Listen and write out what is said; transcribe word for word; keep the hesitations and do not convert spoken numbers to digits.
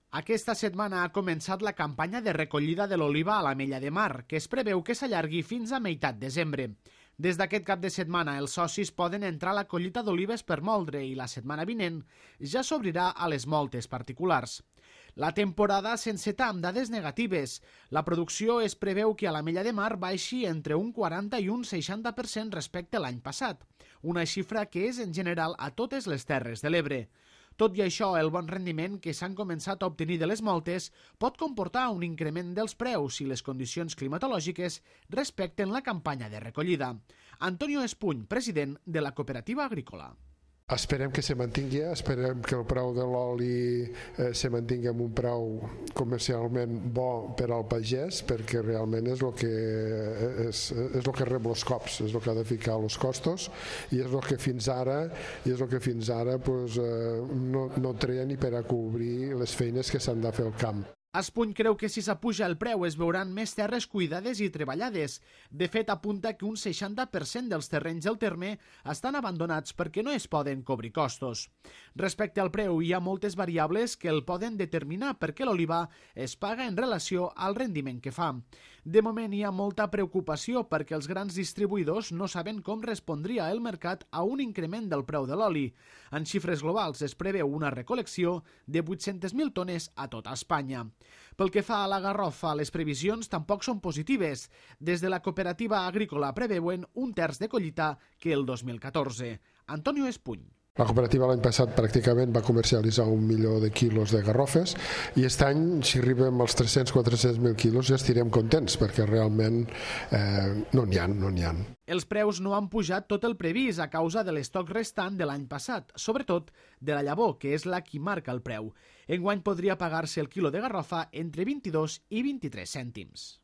Aquesta setmana ha començat la campanya de recollida de l'oliva a l'Ametlla de Mar, que es preveu que s'allargui fins a meitat desembre. Des d'aquest cap de setmana, els socis poden entrar a la collita d'olives per moldre i la setmana vinent ja s'obrirà a les moltes particulars. La temporada s'enceta amb dades negatives. La producció es preveu que a l'Ametlla de Mar baixi entre un quaranta i un seixanta per cent respecte a l'any passat, una xifra que és en general a totes les Terres de l'Ebre. Tot i això, el bon rendiment que s'han començat a obtenir de les moltes pot comportar un increment dels preus si les condicions climatològiques respecten la campanya de recollida. Antonio Espuny, president de la cooperativa agrícola. Esperem que se mantingui, esperem que el preu de l'oli eh, se mantingui amb un preu comercialment bo per al pagès, perquè realment és el que, és, és el que rep els cops, és el que ha de ficar els costos, i és el que fins ara, i és el que fins ara pues, eh, no, no treia ni per a cobrir les feines que s'han de fer al camp. Espuny creu que si s'apuja el preu es veuran més terres cuidades i treballades. De fet, apunta que un seixanta per cent dels terrenys del terme estan abandonats perquè no es poden cobrir costos. Respecte al preu, hi ha moltes variables que el poden determinar perquè l'oliva es paga en relació al rendiment que fa. De moment hi ha molta preocupació perquè els grans distribuïdors no saben com respondria el mercat a un increment del preu de l'oli. En xifres globals es preveu una recol·lecció de vuit-centes mil tones a tota Espanya. Pel que fa a la garrofa, les previsions tampoc són positives. Des de la cooperativa agrícola preveuen un terç de collita que el dos mil catorze. Antonio Espuny. La cooperativa l'any passat pràcticament va comercialitzar un milió de quilos de garrofes i aquest any, si arribem als tres-cents a quatre-cents mil quilos, ja estirem contents perquè realment eh, no n'hi ha, no n'hi ha. Els preus no han pujat tot el previst a causa de l'estoc restant de l'any passat, sobretot de la llavor, que és la qui marca el preu. Enguany podria pagar-se el quilo de garrofa entre vint-i-dos i vint-i-tres cèntims.